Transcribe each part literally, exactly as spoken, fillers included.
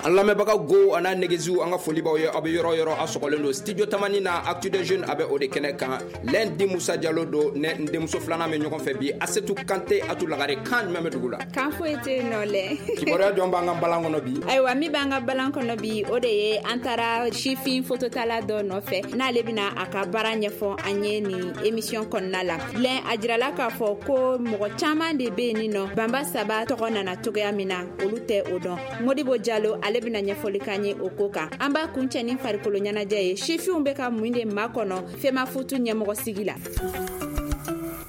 An lamɛnbagaw go a n'a negeziw, an ka foli b'aw ye. Aw bɛ yɔrɔ yɔrɔ, a sɔgɔlen don Studio Tamani na. Actu des Jeunes a bɛ o de kɛnɛ kan. Lundi, Musa Jalo don ne n denmuso filanan bɛ ɲɔgɔn fɛ bi, Asetu Kante. Atu Lagare, kan jumɛn bɛ dugu la? Kan foyi tɛ yen nɔ lɛ. Kibaruya jɔn b'an ka balan kɔnɔ bi? Ayiwa, min b'an ka balan kɔnɔ bi, o de ye an taara sifin fototala dɔ nɔfɛ, n'ale bɛna a ka baara ɲɛfɔ an ye nin émission kɔnɔna la. Lɛn, a jirala k'a fɔ ko mɔgɔ caman de bɛ yen nɔ, banba saba tɔgɔ nana cogoya min na, olu tɛ o dɔn. Modibo Jalo, ale bɛna ɲɛfɔli k'an ye o ko kan. An b'a kuncɛ ni farikolo ɲɛnajɛ ye. Sifinw bɛ ka mun de makɔnɔ FEMAFOOT ɲɛmɔgɔ sigi la?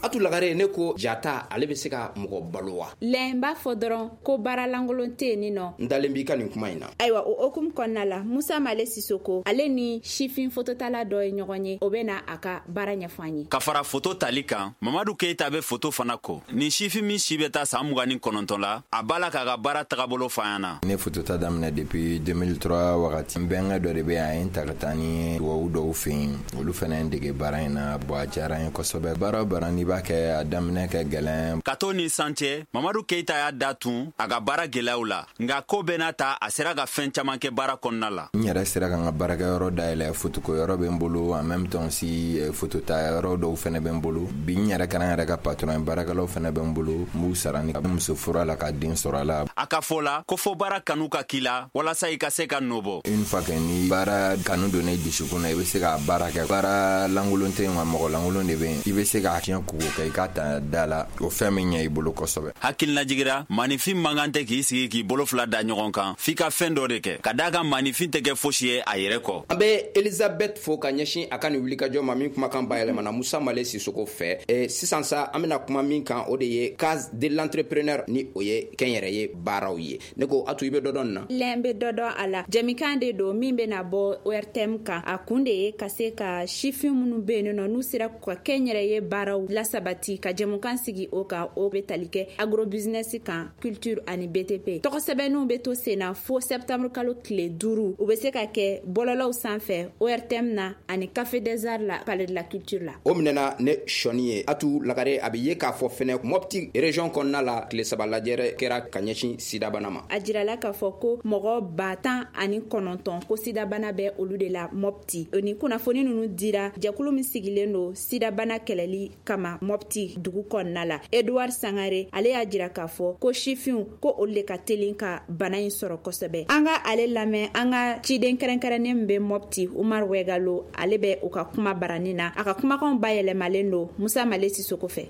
Atu Lagare, ne ko jata, ale bɛ se ka mɔgɔ balo wa? Lɛn, n b'a fɔ dɔrɔn ko baara lankolon tɛ yen nɔ. N dalen b'i ka nin kuma in na. Ayiwa, o hokumu kɔnɔna la, Musa Male Sisoko, ale ni sifin fototala dɔ ye ɲɔgɔn ye, o bɛ na a ka baara ɲɛfɔ an ye. Ka fara foto tali kan, Mamadu Keyita bɛ foto fana ko. Nin sifin min si bɛ taa san mugan ni kɔnɔntɔn la, a b'a la k'a ka baara tagabolo fɔ an na. Ne fotota daminɛ depuis deux mille trois wagati. N bɛnkɛ dɔ de bɛ yan, a ye n ta ka taa ni tubabu dɔw fɛ yen, olu fana ye n dege baara in na. Bon, a diyara n ye kosɛbɛ. Baara o baara n'i b'a kɛ, a daminɛ kɛ gɛlɛn. Ka to ni san cɛ, Mamadu Keyita y'a da tun a ka baara gwɛlɛyaw la, nka ko bɛɛ n'a ta, a sera ka fɛn caman kɛ baara kɔnɔna la. N yɛrɛ sera ka n ka baarakɛyɔrɔ dayɛlɛ, fotoko yɔrɔ bɛ n bolo, en même temps aussi fotota yɔrɔ dɔw fɛnɛ bɛ n bolo. Bi n yɛrɛ kɛra n yɛrɛ ka patron ye, baarakɛlaw fɛnɛ bɛ n bolo, n b'u sara ni muso furu a la ka den sɔrɔ a la. A ka fɔ la ko fo baara kanu ka k'i la walasa i ka se ka nɔ bɔ. Une fois que ni baara kanu donnen dusukun na, i bɛ se k'a baara kɛ. Baara lankolon tɛ yen wa, mɔgɔ lankolon de bɛ yen. I bɛ se k'a tiɲɛ kugo kɛ, i k'a ta da la, o fɛn min ɲɛ i bolo kosɛbɛ. Hakilinajigira, maanifin man kan tɛ k'i sigi k'i bolo fila da ɲɔgɔn kan, f'i ka fɛn dɔ de kɛ, ka daa kan maanifin tɛ kɛ fosi ye a yɛrɛ kɔ. An bɛ Elizabeth fo ka ɲɛsin a ka nin wulikajɔ ma min kumakan bayɛlɛmana Musa Male Sisoko fɛ. e, sisan sa, an bɛna kuma min kan, o de ye Case de l'entrepreneur, ni o ye kɛnyɛrɛye baaraw ye. Ne ko Atu, i bɛ dɔ dɔn nin na? Lɛn, bɛ dɔ dɔn a la. Jɛmikan de don min bɛna bɔ O R T M kan. A kun de ye ka se ka sifin minnu bɛ yen nɔ, n'u sera ka kɛnyɛrɛye baaraw lasabati, ka jɛmukan sigi o kan. O bɛ tali kɛ agrobusiness kan, culture ani B T P. Tɔgɔ sɛbɛnninw bɛ to sen na fo septembre kalo tile duuru. U bɛ se ka kɛ bɔlɔlɔw sanfɛ, O R T M na ani Café des Arts la, Palais de la Culture la. O minɛna ne sɔnni ye. Atu Lagare, a bɛ ye k'a fɔ fɛnɛ, Mɔpti région kɔnɔna la, tile saba lajɛrɛ kɛra ka ɲɛsin sidabana ma. A jirala k'a fɔ ko mɔgɔ ba tan ani kɔnɔntɔn ko sidabana bɛ olu de la Mɔpti. O ni kunnafoni ninnu dira jɛkulu min sigilen don sidabana kɛlɛli kama Mɔpti dugu kɔnɔna la, Edouard Sangare, ale y'a jira k'a fɔ ko sifinw, ko olu de ka teli ka bana in sɔrɔ kosɛbɛ. An ka ale lamɛn. An ka ciden kɛrɛnkɛrɛnnen min bɛ Mɔpti, Umar Wɛgalo, ale bɛ u ka kuma baranin na. A ka kumakanw bayɛlɛmalen don Musa Male Sisoko fɛ.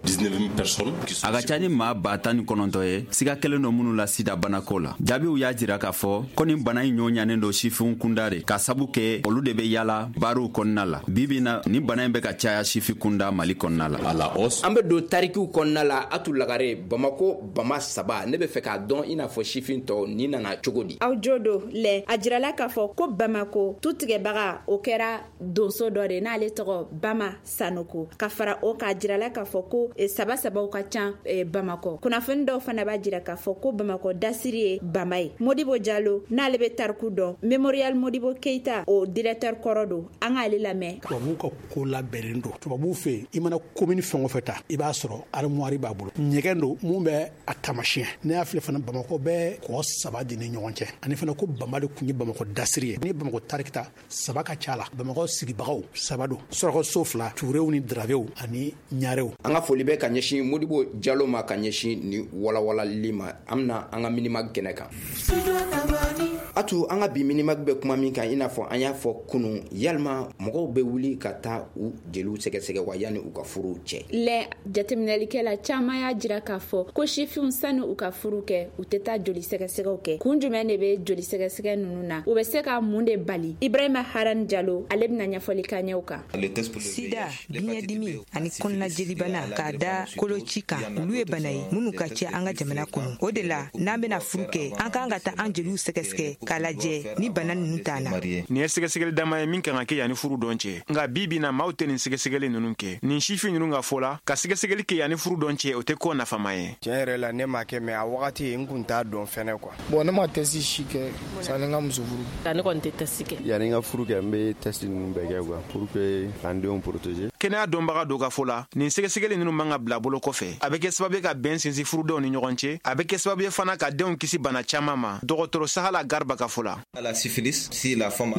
A ka ca ni maa ba tan ni kɔnɔntɔ ye siga kɛlen don minnu la sida banako la. Jaabiw y'a jira k'a fɔ ko nin bana in ɲɔ ɲanen don sifinw kunda de, ka sabu kɛ olu de bɛ yala baaraw kɔnɔna la. Bibi na, nin bana in bɛ ka caya sifi kunda Mali kɔnɔna la. An bɛ don tarikiw kɔnɔna la. Atu Lagare, Bamako bama saba, ne bɛ fɛ k'a dɔn, i n'a fɔ sifin tɔw, nin nana cogo di? Aw jo don lɛ. A jirala k'a fɔ ko Bamako tu tigɛbaga, o kɛra donso dɔ de, n'ale tɔgɔ Bama Sanoko. Ka fara o k'a jirala k'a fɔ ko eh, saba sabaw ka ca eh, Bamakɔ. Kunnafoni dɔw fana b'a jira k'a fɔ ko Bamakɔ dasiri ye bama ye. Modibo Jalo, n'ale bɛ tariku dɔn, Mémorial Modibo Keita, o directeur kɔrɔ don, an k'ale lamɛn. Tubabuw ka ko labɛnnen don. Tubabuw fɛ yen, i mana commune fɛn o fɛn ta, i b'a sɔrɔ armoire b'a bolo, ɲɛgɛn don mun bɛ a tamasiyɛn. Ne y'a filɛ fana, Bamakɔ bɛ kɔ saba de ni ɲɔgɔn cɛ, ani fana ko bama de tun ye Bamakɔ dasiri ye. Ni Bamakɔ tariki ta, saba ka ca la. Bamakɔ sigibagaw saba don: surakaso fila, Turew ni Darabew ani Ɲarew. An ka foli bɛ ka ɲɛsin Modibo Jalo ma ka ɲɛsin ni walawalali ma. An bɛna an ka Minimag kɛnɛ kan. Atu, an ka bi Minimag bɛ kuma min kan, i n'a fɔ an y'a fɔ kunun, yalima mɔgɔw bɛ wuli ka taa u jeliw sɛgɛsɛgɛ wa yanni u ka furuw cɛ? Lɛ, jateminɛlikɛla caman y'a jira k'a fɔ ko sifinw, sani u ka furu kɛ, u tɛ taa joli sɛgɛsɛgɛw kɛ. Kun jumɛn de bɛ joli sɛgɛsɛgɛ ninnu na? U bɛ se ka mun de bali? Ibrahima Haran Jalo, ale bɛna ɲɛfɔli k'an ɲɛ o kan. Sida, biɲɛdimi ani kɔnɔnajelibana k'a da koloci kan, olu ye bana ye minnu ka ca an ka jamana kɔnɔ. O de la, n'an bena furu kɛ, an k'an ka taa an jeliw sɛgɛsɛgɛ k'a lajɛ ni bana nunu t'an na. Nin ye sɛgɛsɛgɛli dama ye min kan ka kɛ yanni furu dɔn cɛ, nka bi bi na, maaw tɛ nin sɛgɛsɛgɛli ninnu kɛ. Nin sifin ninnu ka fɔ la, ka sɛgɛsɛgɛli kɛ yanni furu dɔn cɛ, o tɛ ko nafama ye. Tiɲɛ yɛrɛ la, ne m'a kɛ, mais a wagati n kun t'a dɔn fɛnɛ quoi. Bon, ne ma test si kɛ sanni n ka muso furu. Ne kɔni tɛ test kɛ. Yanni n ka furu kɛ, n bɛ test ninnu bɛɛ kɛ quoi, pour que k'an denw protéger. Kɛnɛya dɔnbaga dɔw ka fɔ la, nin sɛgɛsɛgɛli ninnu man ka bila bolo kɔfɛ. A bɛ kɛ sababu ye ka bɛn sinsin furudenw ni ɲɔgɔn cɛ, a bɛ kɛ sababu ye fana ka denw kisi bana caman ma. Dɔgɔtɔrɔ Sahala Garba ka fɔ la.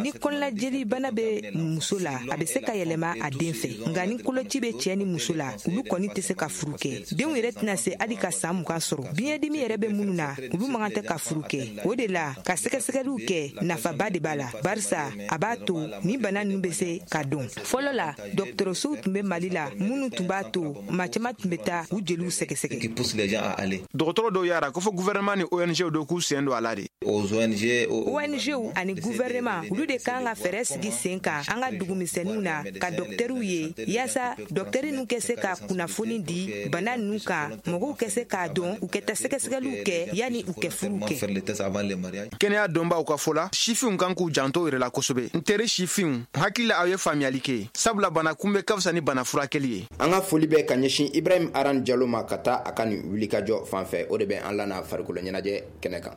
Ni kɔnɔnajeli bana bɛ muso la, a bɛ se ka yɛlɛma a den fɛ. Nka ni koloci bɛ cɛ ni muso la, olu kɔni tɛ se ka furu kɛ. Denw yɛrɛ tɛna se hali ka san mugan sɔrɔ. Biɲɛdimi yɛrɛ bɛ minnu na, olu man kan tɛ ka furu kɛ. O de la, ka sɛgɛsɛgɛliw kɛ nafaba de b'a la, barisa a b'a to ni bana ninnu bɛ se ka dɔn. Fɔlɔ la, dɔgɔtɔrɔsow tun bɛ Mali la minnu tun b'a to maa caman tun bɛ taa u jeliw sɛgɛsɛgɛ. Dɔgɔtɔrɔ dɔw y'a ko fɔ gouvernement ni O N G dɔw k'u sen don a la de. O N G ani gouvernement, olu de kan ka fɛɛrɛ sigi sen kan an ka dugumisɛnninw na ka dɔkitɛriw ye, yaasa dɔkitɛri ninnu kɛ se ka kunnafoni di bana ninnu kan, mɔgɔw kɛ se k'a dɔn, u kɛ taa sɛgɛsɛgɛliw kɛ yanni u kɛ furu kɛ. Kɛnɛya dɔnbaaw ka fɔ la, sifinw kan k'u janto yɛrɛ la kosɛbɛ. N teri sifinw, hakili la aw ye faamuyali kɛ, sabula bana kunbɛ ka fisa ni bana furakɛli ye. An ka foli bɛ ka ɲɛsin Ibrahim Aran Jalo ma ka taa a ka nin wulikajɔ fan fɛ, o de bɛ an lana farikolo ɲɛnajɛ kɛnɛ kan.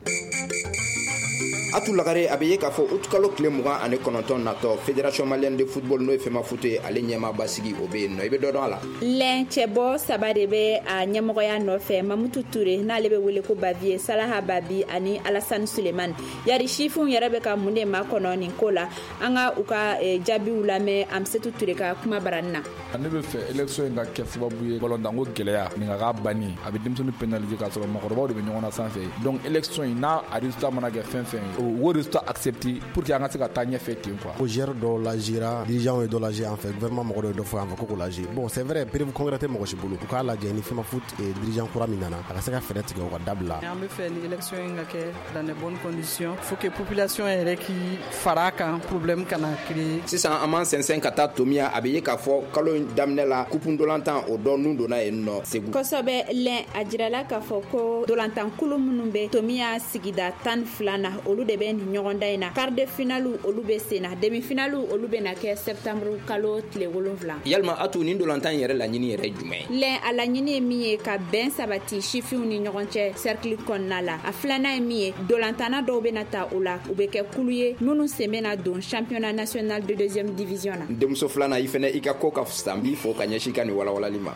Atu Lagare, a bɛ ye k'a fɔ utukalo tile mugan ani kɔnɔntɔn natɔ, Fédération malienne de football n'o ye FEMAFOOT ye, ale ɲɛmaaba sigi o bɛ yen nɔ. I bɛ dɔ dɔn a la? Lɛn cɛbɔ saba de bɛ a ɲɛmɔgɔya nɔfɛ, Mamutu Ture n'ale bɛ wele ko Baviye, Salaha Babi ani Alasani Sulemani. Yari sifinw yɛrɛ bɛ ka mun de makɔnɔ nin ko la? An ka u ka jaabiw lamɛn Amisetu Ture ka kuma barani na. Ne bɛ fɛ élection in ka kɛ sababu ye balontanko gɛlɛya nin ka k'a banni, a bɛ denmisɛnnin pénaliser k'a sɔrɔ mɔgɔkɔrɔbaw de bɛ ɲɔgɔn na sanfɛ. Donc élection in n'a a résultat mana kɛ fɛn fɛn ye, o résultat accepté pour que an ka se ka taa ɲɛfɛ ten quoi. Ko joueur dɔw lajɛra, dirigeant ye dɔ lajɛ an fɛ, gouvernement mɔgɔ dɔ ye dɔ fɔ an fɛ ko k'o lajɛ. Bon, c'est vrai, preuve concrète tɛ mɔgɔ si bolo. U k'a lajɛ ni FEMAFOOT dirigeant kura min nana, a ka se ka fɛɛrɛ tigɛ o ka dabila. An bɛ fɛ ni élection in ka kɛ dans de bonnes conditions, faut que population yɛrɛ k'i fara kan, problème kana créer. Sisan an m'an sɛnsɛn ka taa Tomiya, a bɛ ye k'a fɔ kalo in daminɛ la, coupe ndolantan o dɔ nun donna yen nɔ Segu. Kosɛbɛ lɛn, a jirala k'a fɔ ko ndolantankulu minnu bɛ Tomiya sigida tan ni fila na, olu de bɛ nin ɲɔgɔndan in na. Quart de finale olu bɛ sen na, demi finale olu bɛ na kɛ septembre kalo tile wolonwula. Yalima Atu, nin ndolantan in yɛrɛ laɲini yɛrɛ ye jumɛn ye? Lɛn, a laɲini ye min ye, ka bɛn sabati sifinw ni ɲɔgɔn cɛ cercle kɔnɔna la. A filanan ye min ye, ndolantanna dɔw bɛ na ta o la, u bɛ kɛ kulu ye minnu sen bɛ na don championnat national de deuxième division na. Denmuso filanan, i fɛnɛ i ka ko ka fisa, n b'i fo ka ɲɛsin i ka nin walawalali ma.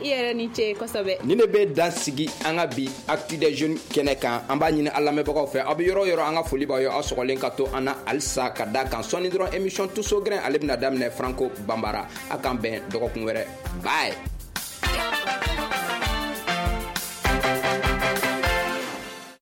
I yɛrɛ ni ce kosɛbɛ. Nin de bɛ dan sigi an ka bi Actu des Jeunes kɛnɛ kan. An b'a ɲini an lamɛnbagaw fɛ, aw bɛ yɔrɔ yɔrɔ, an ka foli b'aw ye, aw sɔgɔlen ka to an na halisa ka da kan. Sɔɔni dɔrɔn émission Tuso Grain ale bɛna daminɛ Franco Bambara. A k'an bɛn dɔgɔkun wɛrɛ. Bye.